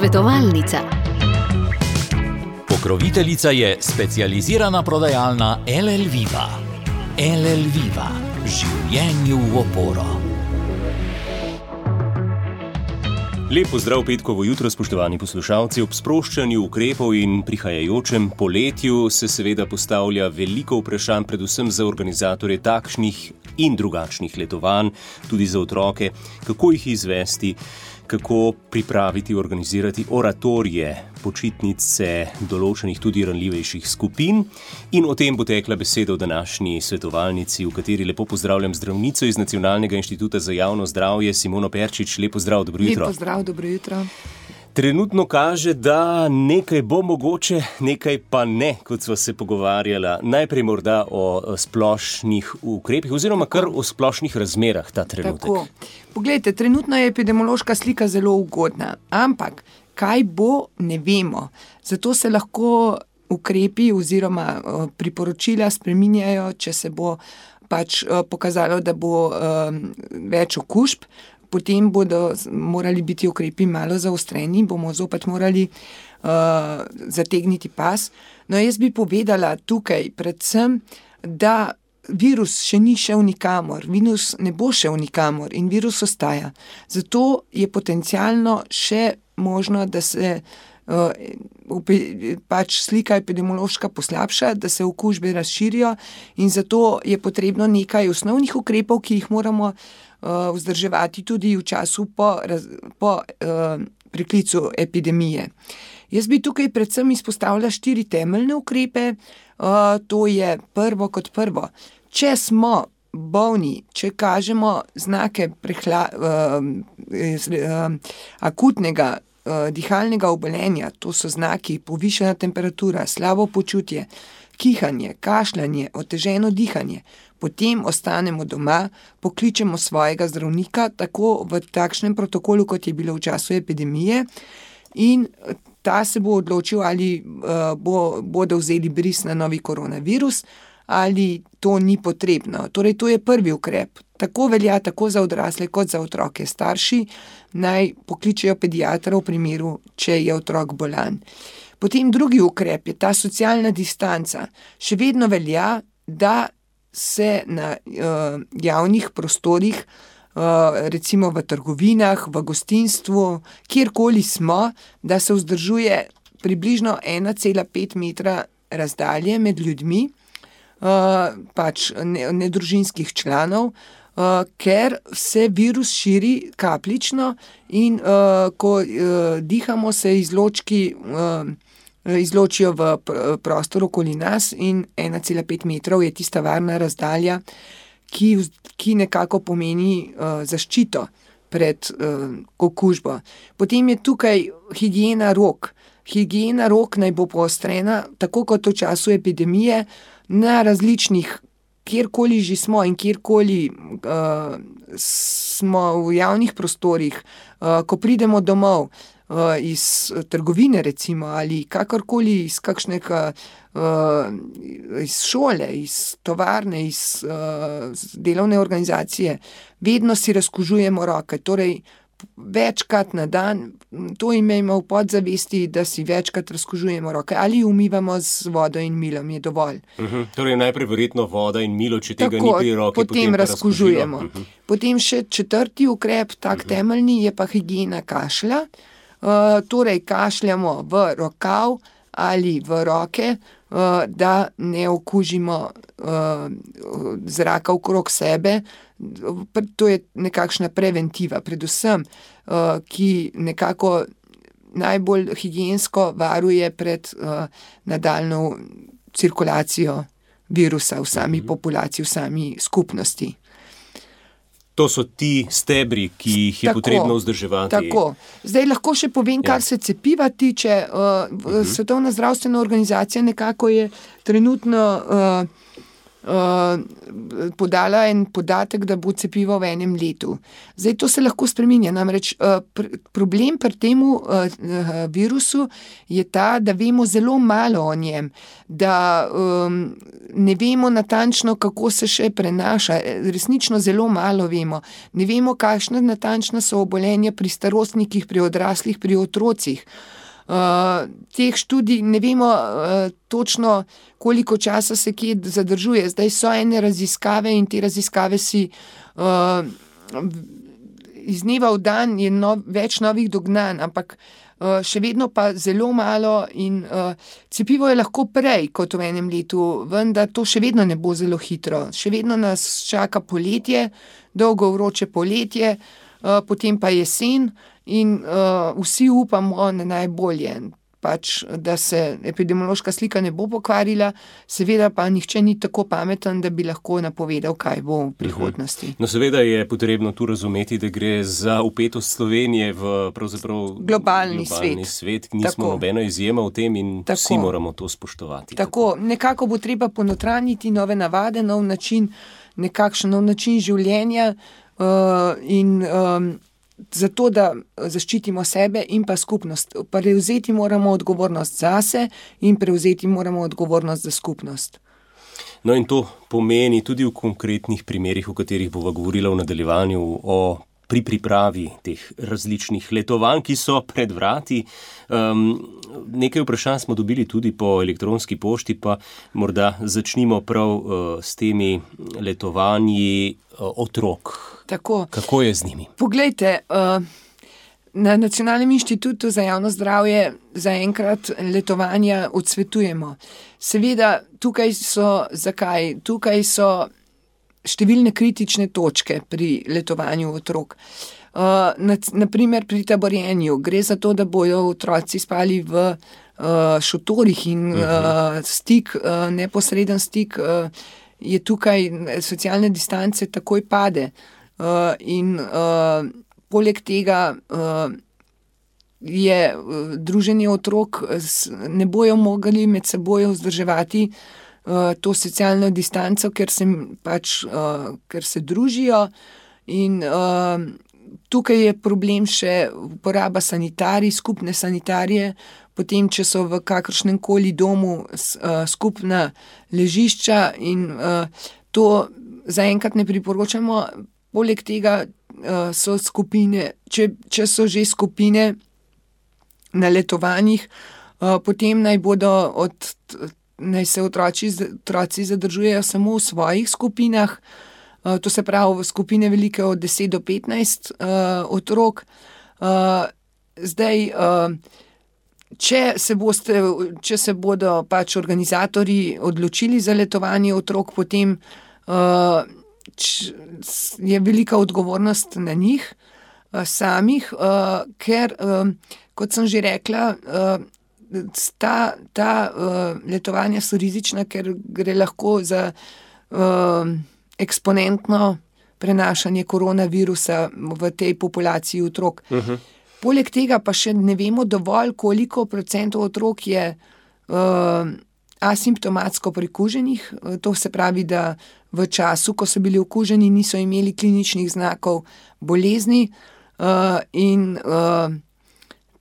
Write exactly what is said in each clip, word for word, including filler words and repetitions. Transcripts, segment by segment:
Svetovalnica. Pokroviteljica je specializirana prodajalna L L Viva. L L Viva. Življenju v oporo. Lep pozdrav petkovo jutro, spoštovani poslušalci. Ob sproščanju ukrepov in prihajajočem poletju se seveda postavlja veliko vprašanj, predvsem za organizatorje takšnih in drugačnih letovanj, tudi za otroke, kako jih izvesti, kako pripraviti, organizirati oratorije, počitnice določenih tudi ranljivejših skupin. In o tem bo tekla beseda v današnji svetovalnici, v kateri lepo pozdravljam zdravnico iz Nacionalnega inštituta za javno zdravje, Simono Perčič. Lep pozdrav, dobro jutro. Lep pozdrav, dobro jutro. Trenutno kaže, da nekaj bo mogoče, nekaj pa ne, kot sva se pogovarjala. Najprej morda o splošnih ukrepih oziroma kar o splošnih razmerah ta trenutek. Tako. Poglejte, trenutno je epidemiološka slika zelo ugodna, ampak kaj bo, ne vemo. Zato se lahko ukrepi oziroma priporočila spreminjajo, če se bo pač pokazalo, da bo um, več okužb. Potem bodo morali biti ukrepi malo zaostreni, bomo zopet morali uh, zategniti pas. No, jaz bi povedala tukaj predvsem, da virus še ni šel nikamor, virus ne bo šel nikamor in virus ostaja. Zato je potencialno še možno, da se uh, pač slika epidemiološka poslabša, da se okužbe razširijo in zato je potrebno nekaj osnovnih ukrepov, ki jih moramo vzdrževati tudi v času po, po uh, priklicu epidemije. Jaz bi tukaj predvsem izpostavila štiri temeljne ukrepe. Uh, to je prvo kot prvo. Če smo bolni, če kažemo znake prehla, uh, uh, akutnega uh, dihalnega obolenja, to so znaki povišana temperatura, slabo počutje, kihanje, kašljanje, oteženo dihanje, potem ostanemo doma, pokličemo svojega zdravnika, tako v takšnem protokolu, kot je bilo v času epidemije, in ta se bo odločil, ali uh, bo, bodo vzeli bris na novi koronavirus, ali to ni potrebno. Torej, to je prvi ukrep. Tako velja tako za odrasle, kot za otroke. Starši naj pokličejo pediatra v primeru, če je otrok bolan. Potem drugi ukrep je ta socialna distanca. Še vedno velja, da se na uh, javnih prostorih, uh, recimo v trgovinah, v gostinstvu, kjerkoli smo, da se vzdržuje približno ena cela pet metra razdalje med ljudmi, uh, pač nedružinskih ne članov, uh, ker se virus širi kapljično in uh, ko uh, dihamo, se izločki uh, izločijo v prostor okoli nas in ena cela pet metrov je tista varna razdalja, ki, ki nekako pomeni uh, zaščito pred uh, okužbo. Potem je tukaj higiena rok. Higiena rok naj bo poostrena, tako kot v času epidemije, na različnih, kjerkoli že smo in kjerkoli uh, smo v javnih prostorih, uh, ko pridemo domov, iz trgovine recimo ali kakorkoli iz kakšnega iz šole, iz tovarne, iz delovne organizacije, vedno si razkužujemo roke, torej večkrat na dan, to imejmo v podzavesti, da si večkrat razkužujemo roke ali umivamo z vodo in milom, je dovolj. Uh-huh. Torej najprej verjetno voda in milo, če tega Tako, ni pri roki, potem, potem razkužujemo. Uh-huh. Potem še četrti ukrep, tak uh-huh. temeljni, je pa higiena kašlja. Uh, torej kašljamo v rokav ali v roke, uh, da ne okužimo uh, zraka okrog sebe. To je nekakšna preventiva, predvsem, uh, ki nekako najbolj higiensko varuje pred uh, nadaljnjo cirkulacijo virusa v sami uh-huh. populaciji, v sami skupnosti. To so ti stebri, ki jih je tako potrebno vzdrževati. Tako. Zdaj lahko še povem, kar ja. se cepiva tiče. Uh, uh-huh. Svetovna zdravstvena organizacija nekako je trenutno uh, uh, podala en podatek, da bo cepivo v enem letu. Zdaj to se lahko spreminja, namreč uh, pr- problem pri temu uh, uh, virusu je ta, da vemo zelo malo o njem, da um, ne vemo natančno, kako se še prenaša, resnično zelo malo vemo. Ne vemo, kakšna natančna so obolenja pri starostnikih, pri odraslih, pri otrocih. Uh, teh študij ne vemo uh, točno, koliko časa se kje zadržuje. Zdaj so ene raziskave in te raziskave si uh, iz dneva v dan je no, več novih dognanj, ampak uh, še vedno pa zelo malo in uh, cepivo je lahko prej kot v enem letu, vendar to še vedno ne bo zelo hitro. Še vedno nas čaka poletje, dolgo vroče poletje, uh, potem pa jesen. In uh, vsi upamo na najbolje, pač, da se epidemiološka slika ne bo pokvarila, seveda pa nihče ni tako pameten, da bi lahko napovedal, kaj bo v prihodnosti. No, seveda je potrebno tu razumeti, da gre za vpetost Slovenije v pravzaprav globalni, globalni svet. svet. Nismo Tako. nobena izjema v tem in Tako. vsi moramo to spoštovati. Tako, nekako bo treba ponotranjiti nove navade, nov način, nekakšen nov način življenja uh, in um, zato, da zaščitimo sebe in pa skupnost. Prevzeti moramo odgovornost zase in prevzeti moramo odgovornost za skupnost. No in to pomeni tudi v konkretnih primerih, o katerih bova govorila v nadaljevanju, o pri pripravi teh različnih letovanj, ki so pred vrati. Um, nekaj vprašanj smo dobili tudi po elektronski pošti, pa morda začnimo prav uh, s temi letovanji uh, otrok. Tako. Kako je z njimi? Poglejte, uh, na Nacionalnem inštitutu za javno zdravje zaenkrat letovanja odsvetujemo. Seveda, tukaj so, zakaj? Tukaj so številne kritične točke pri letovanju otrok. Uh, na, naprimer pri taborjenju gre za to, da bojo otroci spali v uh, šotorih in uh, stik, uh, neposreden stik uh, je tukaj, socialne distance takoj pade. Uh, in uh, poleg tega uh, je uh, druženje otrok, s, ne bojo mogli med seboj vzdrževati Uh, to socialno distanco, ker se, pač, uh, ker se družijo in uh, tukaj je problem še uporaba sanitarij, skupne sanitarije, potem, če so v kakršnem koli domu uh, skupna ležišča in uh, to zaenkrat ne priporočamo. Poleg tega uh, so skupine, če, če so že skupine na letovanjih, uh, potem naj bodo od naj se otroci, otroci zadržujejo samo v svojih skupinah, uh, to se pravi v skupine velike od deset do petnajst uh, otrok. Uh, zdaj, uh, če, se boste, če se bodo pač organizatorji odločili za letovanje otrok, potem uh, č, je velika odgovornost na njih uh, samih, uh, ker, uh, kot sem že rekla, uh, Ta, ta uh, letovanja so rizična, ker gre lahko za uh, eksponentno prenašanje koronavirusa v tej populaciji otrok. Uh-huh. Poleg tega pa še ne vemo dovolj, koliko procentov otrok je uh, asimptomatsko prikuženih. To se pravi, da v času, ko so bili okuženi, niso imeli kliničnih znakov bolezni uh, in uh,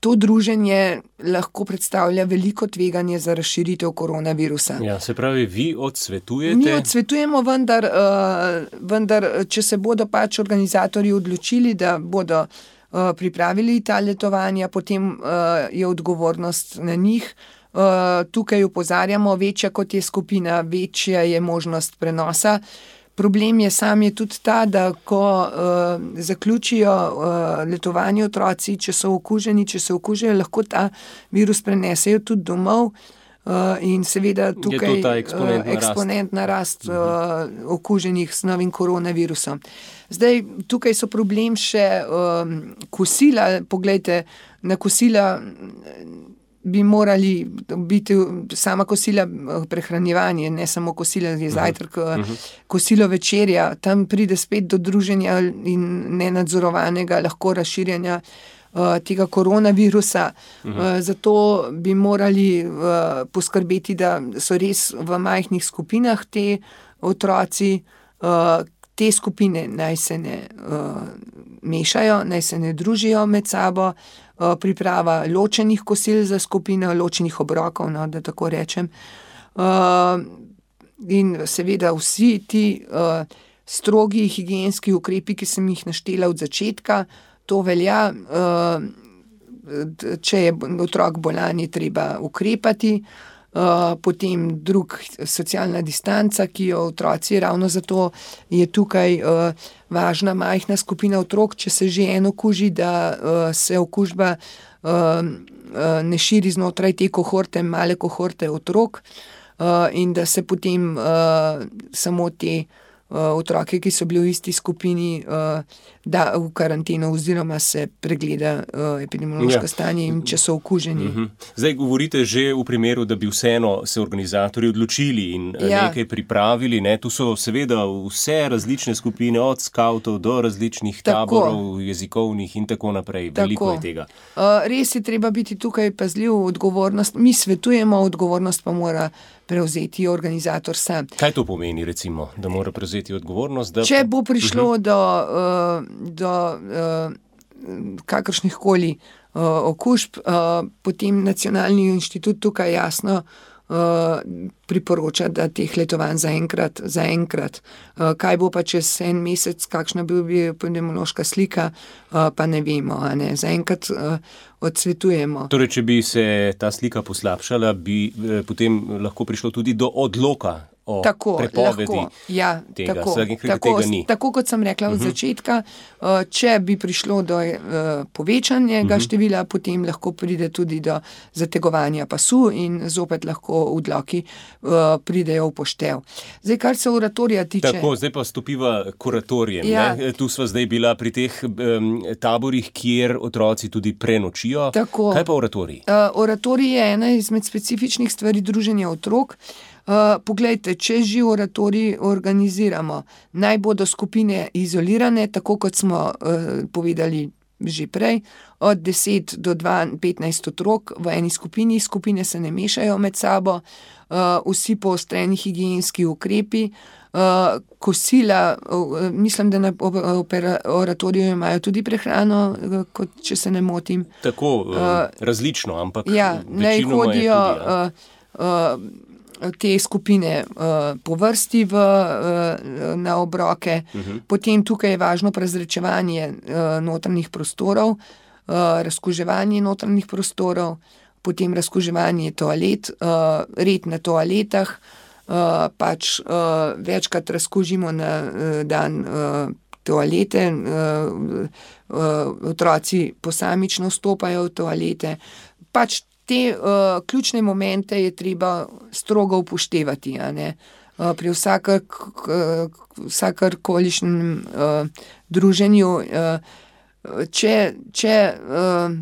to druženje lahko predstavlja veliko tveganje za razširitev koronavirusa. Ja, se pravi, vi odsvetujete? Mi odsvetujemo, vendar, uh, vendar če se bodo pač organizatorji odločili, da bodo uh, pripravili ta letovanja, potem uh, je odgovornost na njih. Uh, tukaj opozarjamo, večja kot je skupina, večja je možnost prenosa. Problem je sam je tudi ta, da ko uh, zaključijo uh, letovanje otroci, če so okuženi, če se okužijo, lahko ta virus prenesejo tudi domov uh, in seveda tukaj je eksponentna, uh, eksponentna rast, rast uh, okuženih s novim koronavirusom. Zdaj, tukaj so problem še um, kosila. Poglejte, na kosila bi morali biti sama kosila prehranjevanje, ne samo kosila je zajtrk, uh-huh. kosilo večerja, tam pride spet do druženja in nenadzorovanega lahko razširjanja uh, tega koronavirusa. Uh-huh. Uh, zato bi morali uh, poskrbeti, da so res v majhnih skupinah te otroci, te skupine naj se ne mešajo, naj se ne družijo med sabo, priprava ločenih kosil za skupino, ločenih obrokov, no, da tako rečem. In seveda vsi ti strogi higienski ukrepi, ki sem jih naštela od začetka, to velja, če je otrok bolan, je treba ukrepati, potem drug, socialna distanca, ki jo otroci, ravno zato je tukaj važna majhna skupina otrok, če se že eno okuži, da se okužba ne širi znotraj te kohorte, male kohorte otrok, in da se potem samo te otroke, ki so bili v isti skupini, da v karanteno oziroma se pregleda epidemiološko ja. stanje in če so okuženi. Uh-huh. Zdaj govorite že v primeru, da bi vseeno se organizatorji odločili in ja. nekaj pripravili. Ne? Tu so seveda vse različne skupine, od skavtov do različnih tako. taborov, jezikovnih in tako naprej. Veliko tako. je tega. Res je treba biti tukaj pazljiv, odgovornost. Mi svetujemo, odgovornost pa mora prevzeti organizator sam. Kaj to pomeni, recimo, da mora prevzeti odgovornost? Da... Če bo prišlo uh-huh. do, do uh, kakršnih koli uh, okužb, uh, potem Nacionalni inštitut tukaj jasno uh, priporoča, da teh letovanj zaenkrat, zaenkrat. Uh, kaj bo pa čez en mesec, kakšna bi bila epidemiološka slika, uh, pa ne vemo. A ne? Zaenkrat uh, odsvetujemo. Torej, če bi se ta slika poslabšala, bi eh, potem lahko prišlo tudi do odloka o tako, prepovedi lahko, ja, tega. Tako, Tega tako, ni. Tako kot sem rekla uh-huh. od začetka, uh, če bi prišlo do uh, povečanega uh-huh. števila, potem lahko pride tudi do zategovanja pasu in zopet lahko odloki uh, pridejo v poštev. Zdaj, kar se oratorija tiče... Tako, zdaj pa stopiva k oratorijem. Ja. Tu sva zdaj bila pri teh um, taborih, kjer otroci tudi prenočijo. Tako. Kaj pa oratorij? Uh, oratorij je ena izmed specifičnih stvari druženja otrok. Uh, poglejte, če že oratorij organiziramo, naj bodo skupine izolirane, tako kot smo uh, povedali že prej, od deset do petnajst otrok v eni skupini, skupine se ne mešajo med sabo, uh, vsi poostreni higienski ukrepi, uh, kosila, uh, mislim, da na oratoriju imajo tudi prehrano, uh, kot če se ne motim. Tako, uh, uh, različno, ampak ja, naj hodijo tudi, ja. uh, uh, te skupine uh, po vrsti v, uh, na obroke. Uh-huh. Potem tukaj je važno prezračevanje uh, notranjih prostorov, uh, razkuževanje notranjih prostorov, potem razkuževanje toalet, uh, red na toaletah, uh, pač uh, večkrat razkužimo na uh, dan uh, toalete, uh, uh, otroci posamično vstopajo v toalete, pač te uh, ključne momente je treba strogo upoštevati, a ne? Uh, pri vsakar, vsakarkolišnjem uh, druženju. Uh, če če uh,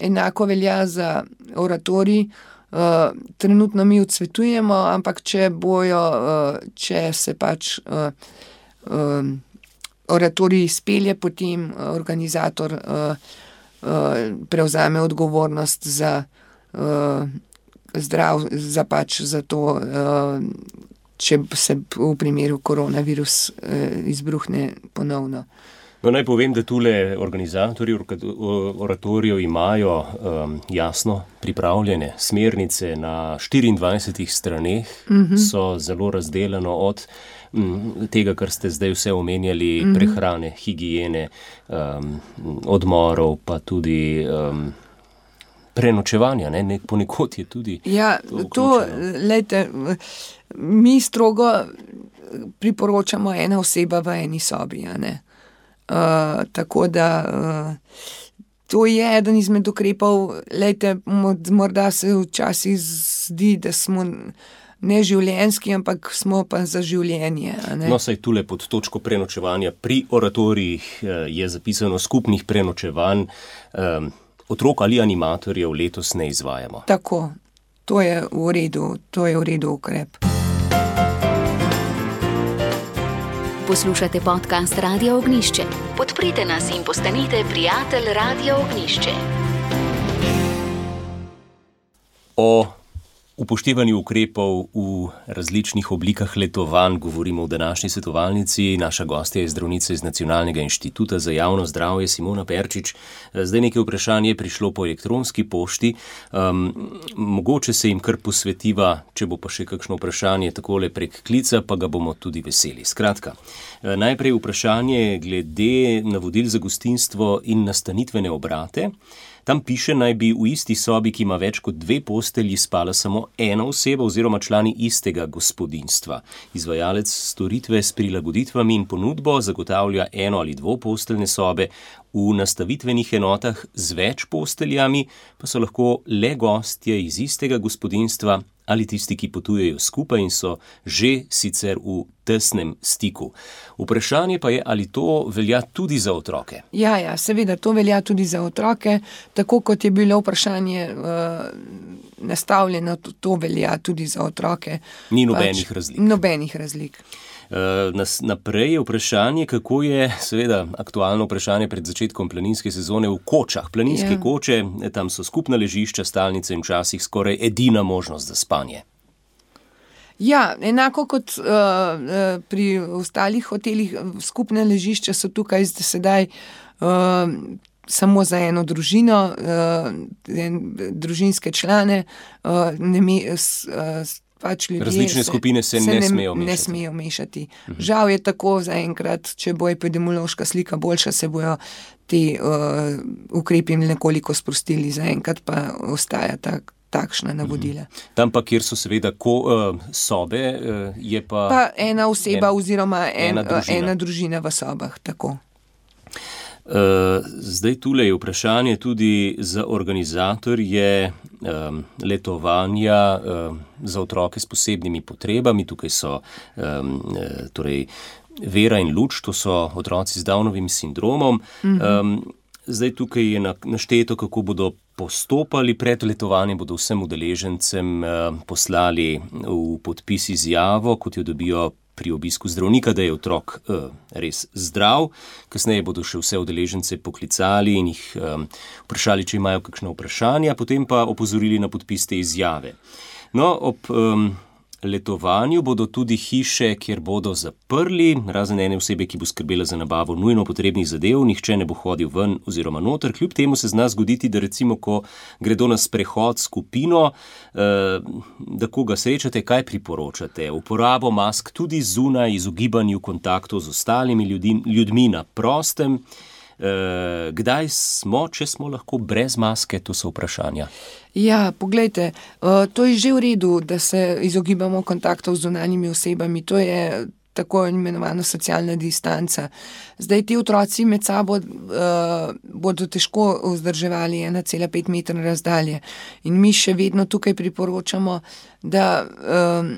enako velja za oratorij, uh, trenutno mi odsvetujemo, ampak če bojo, uh, če se pač uh, uh, oratorij izpelje, potem organizator uh, uh, prevzame odgovornost za Uh, zdrav, za pač za to, uh, če se v primeru koronavirus uh, izbruhne ponovno. No, naj povem, da tule organizatorji oratorijev imajo um, jasno pripravljene smernice na štiriindvajsetih straneh, uh-huh. so zelo razdeljeno od um, tega, kar ste zdaj vse omenjali, uh-huh. prehrane, higiene, um, odmorov, pa tudi um, prenočevanja, ne, nek ponekod je tudi. Ja, to, lejte, mi strogo priporočamo ena oseba v eni sobi, a ne. Uh, tako da uh, to je eden izmed ukrepov, lejte, morda se včasih zdi, da smo neživljenjski, ampak smo pa za življenje, a ne. No, saj tule pod točko prenočevanja pri oratorijih je zapisano skupnih prenočevanj, um, otrok ali animatorjev letos ne izvajamo. Tako, to je v redu, to je v redu ukrep. Poslušate podcast Radia Ognjišče. Podprite nas in postanite prijatelj Radia Ognjišče. O upoštevanju ukrepov v različnih oblikah letovanj govorimo v današnji svetovalnici. Naša gostja je zdravnica iz Nacionalnega inštituta za javno zdravje Simona Perčič. Zdaj nekaj vprašanje je prišlo po elektronski pošti. Um, mogoče se jim kar posvetiva, če bo pa še kakšno vprašanje takole prek klica, pa ga bomo tudi veseli. Skratka, najprej vprašanje glede navodil za gostinstvo in nastanitvene obrate. Tam piše, naj bi v isti sobi, ki ima več kot dve postelji, spala samo ena oseba oziroma člani istega gospodinjstva. Izvajalec storitve s prilagoditvami in ponudbo zagotavlja eno ali dvoposteljne sobe, v nastavitvenih enotah z več posteljami pa so lahko le gostje iz istega gospodinjstva ali tisti, ki potujejo skupaj in so že sicer v tesnem stiku. Vprašanje pa je, ali to velja tudi za otroke? Ja, ja, seveda, to velja tudi za otroke. Tako kot je bilo vprašanje uh, nastavljeno, to, to velja tudi za otroke. Ni nobenih pač, razlik. Nobenih razlik. Naprej je vprašanje, kako je, seveda, aktualno vprašanje pred začetkom planinske sezone v kočah. Planinske ja. koče, tam so skupna ležišča, stalnice in včasih skoraj edina možnost za spanje. Ja, enako kot uh, pri ostalih hotelih, skupne ležišča so tukaj sedaj uh, samo za eno družino, uh, en, družinske člane, uh, ne me, uh, pač ljudje različne se, skupine se, se ne, ne smejo mešati. Ne smejo mešati. Uh-huh. Žal je tako zaenkrat, če bo epidemiološka slika boljša, se bojo ti uh, ukrepi nekoliko sprostili, zaenkrat pa ostaja tak, takšna navodila. Uh-huh. Tam pa, kjer so seveda ko, uh, sobe, uh, je pa... Pa ena oseba en, oziroma en, ena, družina. ena družina v sobah, tako. Uh, zdaj tule je vprašanje tudi za organizatorje um, letovanja um, za otroke s posebnimi potrebami. Tukaj so um, torej Vera in Luč, to so otroci z Downovim sindromom. Um, zdaj tukaj je našteto, kako bodo postopali pred letovanjem, bodo vsem udeležencem uh, poslali v podpis izjavo, kot jo dobijo pri obisku zdravnika, da je otrok uh, res zdrav. Kasneje bodo še vse udeležence poklicali in jih um, vprašali, če imajo kakšno vprašanje, potem pa opozorili na podpis te izjave. No, ob um, letovanju bodo tudi hiše, kjer bodo zaprli, razen ene osebe, ki bo skrbela za nabavo nujno potrebnih zadev, nihče ne bo hodil ven oziroma noter. Kljub temu se zna zgoditi, da recimo, ko gredo na sprehod skupino, eh, da koga srečate, kaj priporočate? Uporabo mask tudi zunaj, izogibanju kontaktov z ostalimi ljudi, ljudmi na prostem. Eh, kdaj smo, če smo lahko brez maske, to so vprašanja. Ja, poglejte, uh, to je že v redu, da se izogibamo kontaktov z zunanjimi osebami, to je tako imenovana socialna distanca. Zdaj ti otroci med sabo uh, bodo težko vzdrževali ena cela pet metra razdalje in mi še vedno tukaj priporočamo, da uh,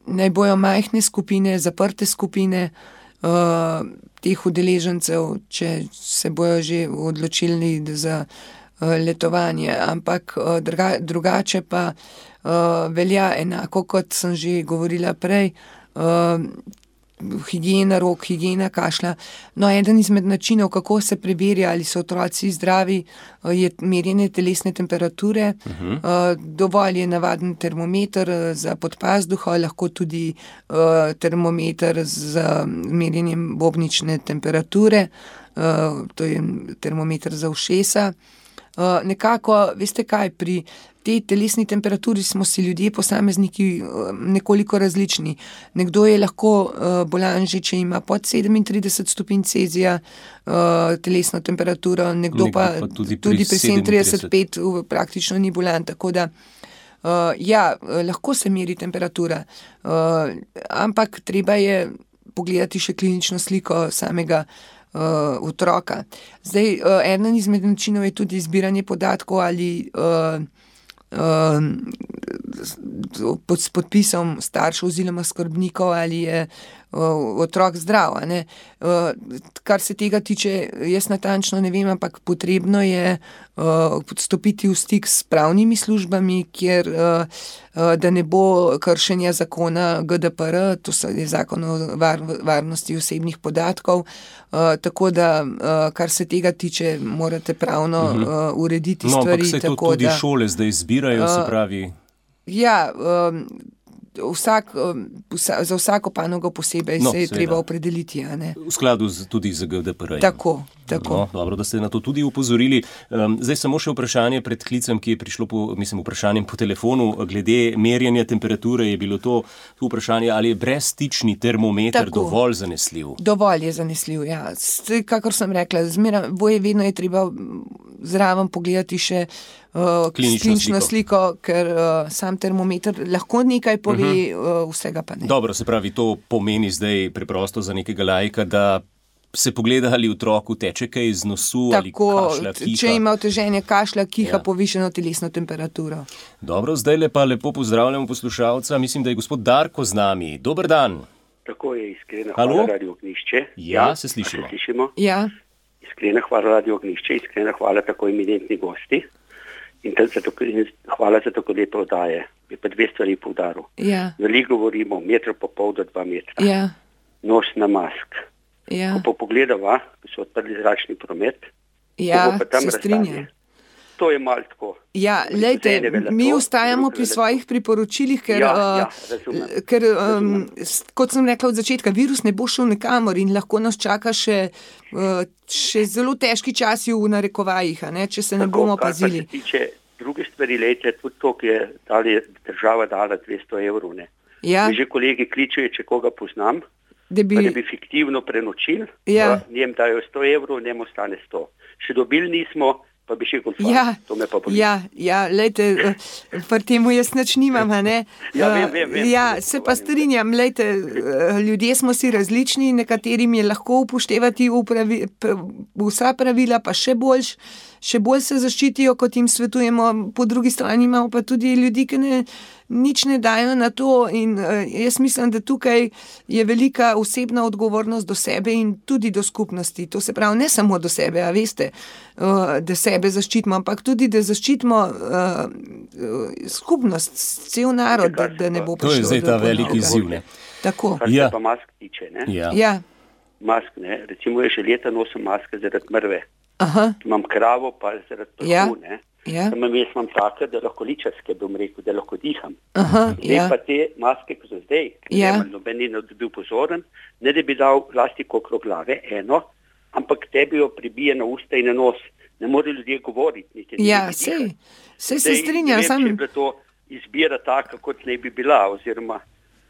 naj bojo majhne skupine, zaprte skupine, uh, teh udeležencev, če se bojo že odločili za uh, letovanje, ampak uh, druga, drugače pa uh, velja enako, kot sem že govorila prej, uh, higiena rok, higiena kašlja. No, eden izmed načinov, kako se preverja, ali so otroci zdravi, uh, je merjenje telesne temperature. Uh-huh. Uh, dovolj je navaden termometer za podpazduha, lahko tudi uh, termometer z merjenjem bobnične temperature, uh, to je termometer za ušesa. Uh, nekako, veste kaj, pri tej telesni temperaturi smo si ljudje, posamezniki, uh, nekoliko različni. Nekdo je lahko uh, bolan že, če ima pod sedemintrideset stopinj Celzija uh, telesno temperaturo, nekdo, nekdo pa, pa tudi pri, pri sedemintrideset pet praktično ni bolan, tako da uh, ja, lahko se meri temperatura, uh, ampak treba je pogledati še klinično sliko samega Uh, otroka. Zdaj, uh, eden izmed načinov je tudi zbiranje podatkov ali uh, uh, pod, s podpisom staršev oziroma skrbnikov, ali je uh, otrok zdrav. A ne? Uh, kar se tega tiče, jaz natančno ne vem, ampak potrebno je uh, stopiti v stik s pravnimi službami, kjer uh, uh, da ne bo kršenja zakona G D P R, to je zakon o var, varnosti osebnih podatkov. Uh, tako da, uh, kar se tega tiče, morate pravno uh, urediti no, stvari. No, ampak se to tako, tudi da, šole zdaj zbirajo, uh, se pravi... Ja, um, vsak, um, vsa, za vsako panogo posebej no, se je seveda treba opredeliti. A ne? V skladu z, tudi z G D P R-jem. Tako, tako. No, dobro, da ste na to tudi upozorili. Um, zdaj samo še vprašanje pred klicem, ki je prišlo po, mislim, vprašanjem po telefonu. Glede merjenja temperature je bilo to, to vprašanje, ali je brezstični termometer tako dovolj zanesljiv? Dovolj je zanesljiv, ja. Kakor sem rekla, zmeraj, boje vedno je treba zraven pogledati še uh, klinično sliko, sliko ker uh, sam termometer lahko nekaj pove, uh-huh. uh, vsega pa ne. Dobro, se pravi, to pomeni zdaj preprosto za nekega laika, da se pogleda, ali otroku teče kaj iz nosu, tako, ali kašlja, kiha. Če ima oteženje kašlja, kiha, ja. povišeno telesno temperaturo. Dobro, zdaj lepa lepo pozdravljamo poslušalca. Mislim, da je gospod Darko z nami. Dober dan. Tako je, iskrena hvala Radio Ognjišče. Ja, se slišimo. Se slišimo? Ja. Iskrena hvala Radio Ognjišče, iskrena hvala tako eminentni gosti in za to, hvala za tako leto oddaje. Bi pa dve stvari poudaril. Ja. Veliko govorimo metro pa pol do dva metra. Ja. Nos na mask. Ja. Ko pa pogledava, ko so odprli zračni promet, ja, se strinjam. To je malo tako. Ja, lejte, mi ustajamo pri svojih priporočilih, ker, ja, ja, uh, ker um, kot sem rekla od začetka, virus ne bo šel nikamor in lahko nas čaka še, uh, še zelo težki časi v narekovajih, a ne, če se ne tako, bomo pazili. Kar pa se tiče druge stvari, lejte, tudi to, ki je dali, država dala dvesto evrov. Ne. Ja. Mi že kolegi kličejo, če koga poznam, da bi, da bi fiktivno prenočili, ja. njem dajo sto evrov, njem ostane sto. Še dobili nismo, pa bi še golfali. Ja, to me pa boli. Ja, ja, lejte, pri temu jaz nič nimam, a ne? ja, vem, vem, vem. Ja, se pa strinjam, lejte, ljudje smo si različni, nekaterim je lahko upoštevati upravi, vsa pravila, pa še boljš, še bolj se zaščitijo, kot jim svetujemo, po drugi strani imamo pa tudi ljudi, ki ne, nič ne dajo na to in uh, jaz mislim, da tukaj je velika osebna odgovornost do sebe in tudi do skupnosti. To se pravi, ne samo do sebe, a veste, uh, da sebe zaščitimo, ampak tudi, da zaščitimo uh, uh, skupnost, cel narod, da, da ne bo prišlo. To je zdaj ta veliki izziv, ne? Tako. Kar ja. se pa mask tiče, ne? Ja. Ja. Mask, ne? Recimo je že leta nosim maske zaradi mrve. Aha. Imam kravo, pa zaradi prahu, ja. ne? Ja. Samo jaz imam take, da lahko ličarske, bom rekel, da lahko diham. Aha, zdaj ja. pa te maske, ko so zdaj, ja. noben ni bil pozoren, ne da bi dal plastiko okrog glave, eno, ampak tebi jo pribije na usta in na nos. Ne more ljudje govoriti. Niti ja, sej, sej se strinjam. Ne vem, sam... če je bila to izbira taka, kot ne bi bila, oziroma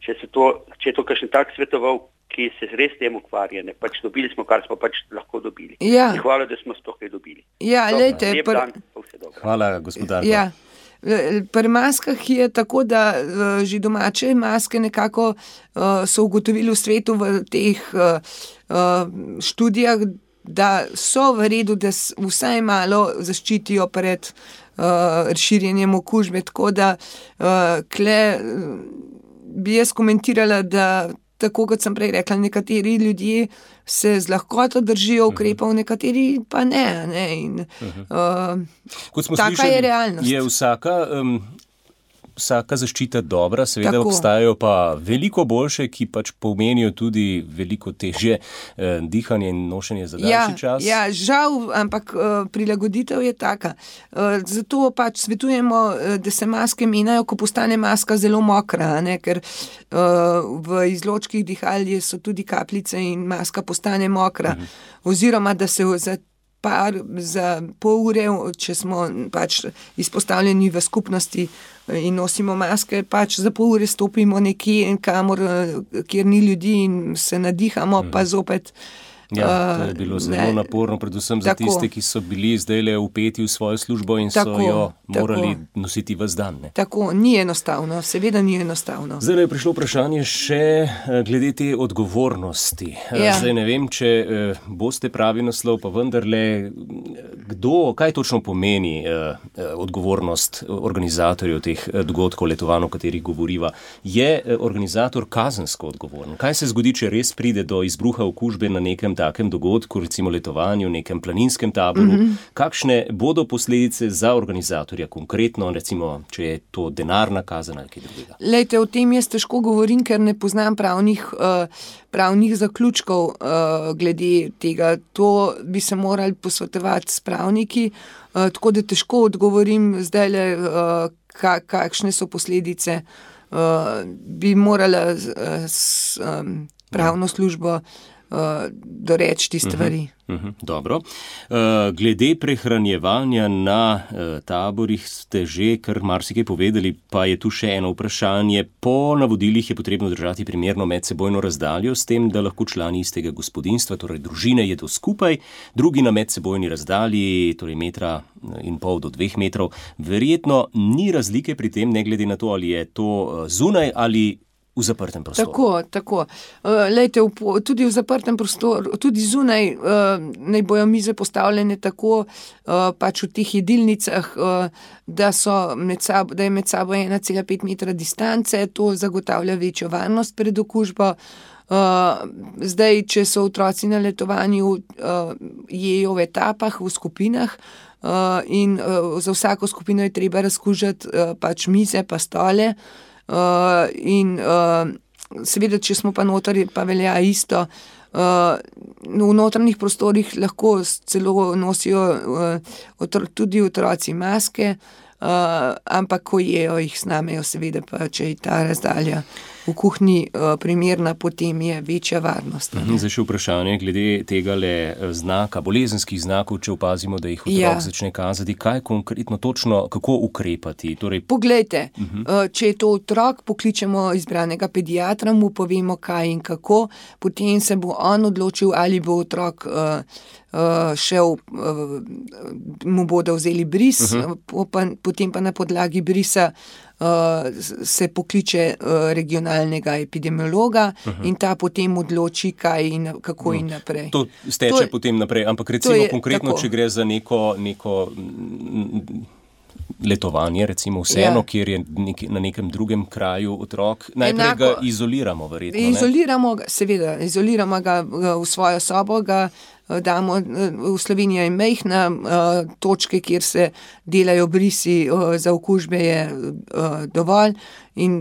če, se to, če je to kakšen tak svetoval, ki se res tem ukvarja, ne, pač dobili smo, kar smo pač lahko dobili. Ja. In hvala, da smo sploh kaj dobili. Ja, Dobro, lejte, lep pr... dan, pa vse dobro. Hvala, gospodarko. Ja. Pri maskah je tako, da uh, že domače maske nekako uh, so ugotovili v svetu v teh uh, uh, študijah, da so v redu, da vsaj malo zaščitijo pred uh, širjenjem okužbe. Tako da uh, kle uh, bi jaz komentirala, da tako kot sem prej rekla, nekateri ljudje se z lahkoto držijo ukrepov, nekateri pa ne. ne? In, uh, Kot smo taka slišali, je realnost. Je vsaka, um, vsaka zaščita dobra, seveda Tako. Obstajajo pa veliko boljše, ki pač pomenijo tudi veliko težje eh, dihanje in nošenje za daljši ja, čas. Ja, žal, ampak uh, prilagoditev je taka. Uh, zato pač svetujemo, uh, da se maske menjajo, ko postane maska zelo mokra, ne? Ker uh, v izločkih dihalje so tudi kapljice in maska postane mokra. Mhm. Oziroma, da se za par, za pol ure, če smo pač izpostavljeni v skupnosti in nosimo maske, pač za pol ure stopimo nekje, kamor, kjer ni ljudi in se nadihamo, mm. pa zopet. Ja, to je bilo zelo ne. naporno, predvsem za tako. Tiste, ki so bili zdajle vpeti v svojo službo in tako, so jo morali tako. nositi ves dan. Ne? Tako, ni enostavno, seveda ni enostavno. Zdaj je prišlo vprašanje še glede te odgovornosti. Ja. Zdaj ne vem, če boste pravi naslov, pa vendarle, kdo, kaj točno pomeni eh, odgovornost organizatorjev teh dogodkov, letovanj, o katerih govoriva. Je organizator kazensko odgovoren? Kaj se zgodi, če res pride do izbruha okužbe na nekem takem dogodku, recimo letovanju, nekem planinskem taboru, mm-hmm. kakšne bodo posledice za organizatorja konkretno, recimo, če je to denarna kazen ali kaj drugega? Lejte, o tem jaz težko govorim, ker ne poznam pravnih, uh, pravnih zaključkov uh, glede tega. To bi se morali posvetovati s pravniki, uh, tako da težko odgovorim zdajle, uh, ka, kakšne so posledice. Uh, bi morala uh, s um, pravno službo uh, doreči te stvari. Uh-huh, uh-huh, dobro. Uh, glede prehranjevanja na uh, taborih ste že kar marsikaj povedali, pa je tu še eno vprašanje. Po navodilih je potrebno držati primerno medsebojno razdaljo s tem, da lahko člani istega gospodinjstva, torej družine, jedo skupaj, drugi na medsebojni razdalji, torej metra in pol do dveh metrov. Verjetno ni razlike pri tem, ne glede na to, ali je to zunaj ali v zaprtem prostoru. Tako, tako. Uh, lejte, v, tudi v zaprtem prostoru, tudi zunaj uh, naj bojo mize postavljene tako, uh, pač v teh jedilnicah, uh, da, so med sabo, da je med sabo ena cela pet metra distance, to zagotavlja večjo varnost pred okužbo. Uh, zdaj, če so otroci na letovanju, uh, jejo v etapah, v skupinah, uh, in uh, za vsako skupino je treba razkužati uh, pač mize pa stole. Uh, in uh, seveda, če smo pa noter, pa velja isto. Uh, v notranjih prostorih lahko celo nosijo uh, otro, tudi otroci maske, uh, ampak ko jejo, jih snamejo, seveda pa, če je ta razdalja v kuhinji uh, primerna, potem je večja varnost. Zdaj še vprašanje glede tega le znaka, bolezenskih znakov, če opazimo, da jih otrok ja. začne kazati. Kaj konkretno točno, kako ukrepati? Torej... Poglejte, uh-huh. uh, če je to otrok, pokličemo izbranega pediatra, mu povemo kaj in kako, potem se bo on odločil, ali bo otrok uh, uh, šel, uh, mu bodo vzeli bris, uh-huh. po, pa, potem pa na podlagi brisa Uh, se pokliče uh, regionalnega epidemiologa uh-huh. in ta potem odloči, kaj in kako uh-huh. in naprej. To steče to je, potem naprej, ampak recimo je, konkretno, tako. Če gre za neko, neko letovanje, recimo vseeno, ja. kjer je nek, na nekem drugem kraju otrok, najprej Enako, ga izoliramo verjetno. Izoliramo ga, seveda, izoliramo ga v svojo sobo, ga damo, v Sloveniji je majhna, točke, kjer se delajo brisi za okužbe, je dovolj in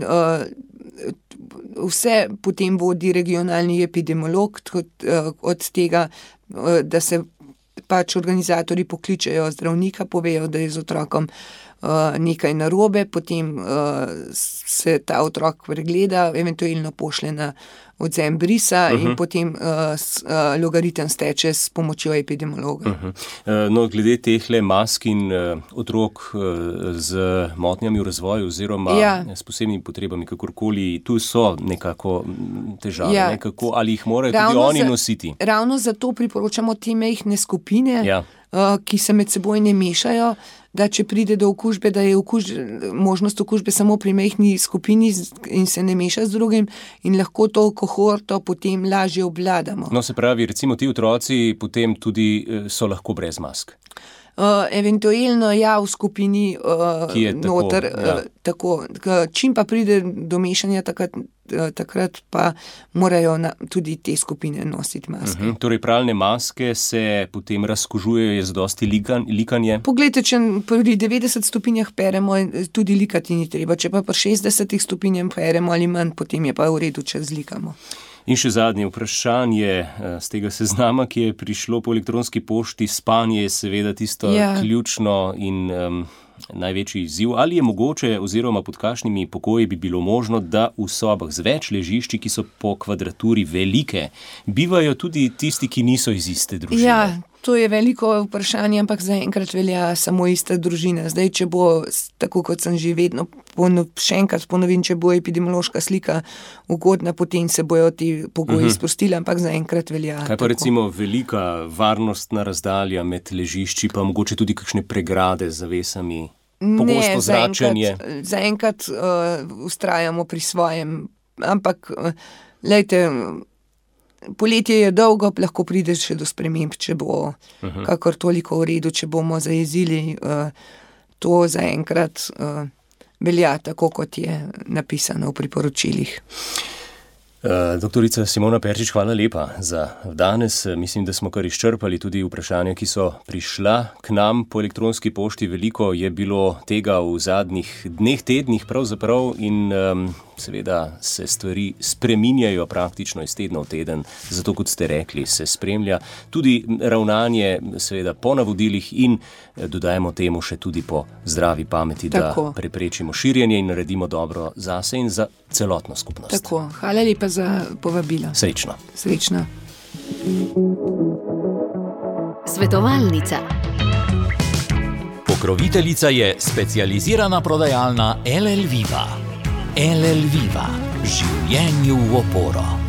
vse potem vodi regionalni epidemiolog od tega, da se pač organizatorji pokličejo zdravnika, povejo, da je z otrokom nekaj narobe, potem se ta otrok pregleda, eventualno pošle na odzem brisa uh-huh. in potem uh, s, uh, logaritem steče s pomočjo epidemiologa. Uh-huh. Uh, no, glede tehle mask in uh, otrok uh, z motnjami v razvoju oziroma ja. s posebnimi potrebami, kakorkoli, tu so nekako težave, ja. nekako, ali jih morajo ravno tudi oni za, nositi? Ravno zato priporočamo te majhne skupine, ja. uh, ki se med seboj ne mešajo, da če pride do okužbe, da je okuž, možnost okužbe samo pri majhni skupini in se ne meša z drugim in lahko to kohorto potem lažje obvladamo. No, se pravi, recimo ti otroci potem tudi so lahko brez mask. Uh, eventualno ja, v skupini uh, ki je tako, noter, ja. uh, tako, čim pa pride do mešanja, takrat, uh, takrat pa morajo na, tudi te skupine nositi maske. Uh-huh. Torej pravilne maske se potem razkužujejo, je zadosti likan, likanje? Poglejte, če pri devetdeset stopinjah peremo, tudi likati ni treba, če pa pri šestdesetih stopinjah peremo ali manj, potem je pa v redu, če zlikamo. In še zadnje vprašanje z tega seznama, ki je prišlo po elektronski pošti. Spanje je seveda tisto ja. ključno in um, največji izziv. Ali je mogoče oziroma pod kakšnimi pokoji bi bilo možno, da v sobah z več ležišči, ki so po kvadraturi velike, bivajo tudi tisti, ki niso iz iste družine? Ja, to je veliko vprašanje, ampak zaenkrat velja samo ista družina. Zdaj, če bo, tako kot sem že vedno, ponov, še enkrat ponovim, če bo epidemiološka slika ugodna, potem se bojo ti pogoji uh-huh. sprostili, ampak zaenkrat velja. Kaj pa tako. Recimo velika varnostna razdalja med ležišči, pa mogoče tudi kakšne pregrade z zavesami? Pogosto zračenje? Ne, zaenkrat uh, ustrajamo pri svojem, ampak uh, lejte, poletje je dolgo, lahko prideš še do sprememb, če bo uh-huh. kakor toliko v redu, če bomo zajezili, uh, to zaenkrat uh, velja tako, kot je napisano v priporočilih. Doktorica Simona Perčič, hvala lepa za danes. Mislim, da smo kar izčrpali tudi vprašanja, ki so prišla k nam po elektronski pošti. Veliko je bilo tega v zadnjih dneh, tednih pravzaprav in um, seveda se stvari spreminjajo praktično iz tedna v teden. Zato, kot ste rekli, se spremlja tudi ravnanje seveda po navodilih in dodajemo temu še tudi po zdravi pameti, Tako. da preprečimo širjenje in naredimo dobro zase in za celotno skupnost. Tako, hvala lepa za povabilo. Srečno. Srečno. Svetovalnica. Pokroviteljica je specializirana prodajalna L L Viva. L L Viva. Življenju v oporo.